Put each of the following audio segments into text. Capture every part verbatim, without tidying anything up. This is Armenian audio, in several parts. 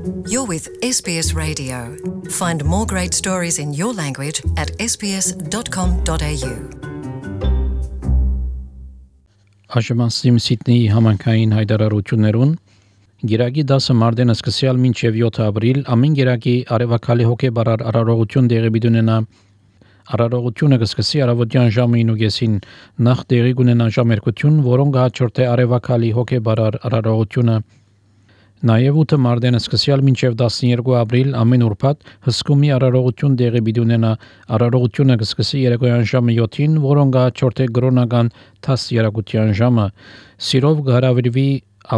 You're with S B S Radio. Find more great stories in your language at s b s dot com dot a u. Աշմասիմ Սիդնեի համանքային հայտարարություններուն Գիրագի դասը մարտեն սկսյալ մինչև յոթ ապրիլ ամեն գիրագի արևակալի հոգեբարար արարողություն դեղի բիդունենա Արարողությունը կսկսի առավոտյան ժամը ինուգեսին նախ դեղի կունենա ժամերկություն, որոնք հաջորդե արևակալի հոգեբարար արարողությունը Նաև ութը մարտեն սկսյալ մինչև տասներկու ապրիլ ամեն ուրբաթ հսկումի արարողություն դեղի բիդունենա արարողությունը կսկսի երեկոյան ժամը յոթին, որոնք հաջորդե գրոնական տասներկույան ժամը Սիրով կհրավիրվի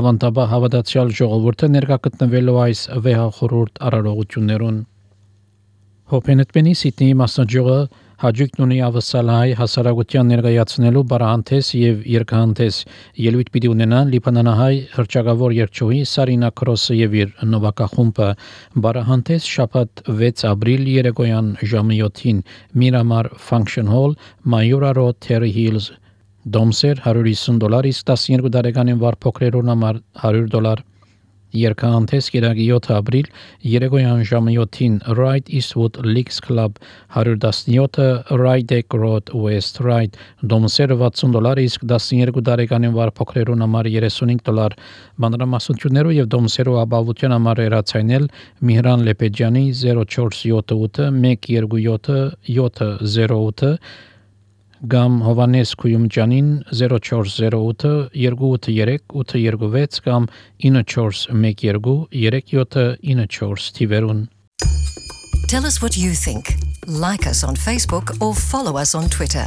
ավանդաբար հավատացյալ ժողովուրդը ներկա գտնվելու այս վեհախորհուրդ արարողություններուն Հոփենետմենի Սիդնեի մասնաճյուղը հաջողություն ունի ավսալահայ հասարակության ներկայացնելու բարահանտես եւ երկհանտես ելույթ պիտի ունենա լիբանանահայ հրճակավոր երգչուհի Սարինա Քրոսը եւ իր նովակախումբը բարահանտես շաբաթ վեց ապրիլ երեկոյան ժամը յոթին Miramar Function Hall Mayura Road Terry Hills Դոմսեր հարյուր հիսուն դոլար իսկ տասներկու տարեկանին վար փոքրերուն համար հարյուր դոլար Երկհանտես գիրագի յոթ ապրիլ երեկոյան ժամը յոթին Right Eastwood Leagues Club հարյուր տասնյոթ Rydeck Road West Ryde Դոմսերը վաթսուն դոլար իսկ տասներկու տարեկանին վար փոքրերուն համար երեսունհինգ դոլար Մանրամասնություններով եւ դոմսերով ապահովության համար երացայնել Միհրան Լեպեջյանի zero four seven eight one two seven seven zero eight Gam Հովանես Քույումջանին zero four zero eight two eight three eight two six կամ nine four one two three seven nine four Tiverun Tell us what you think. Like us on Facebook or follow us on Twitter.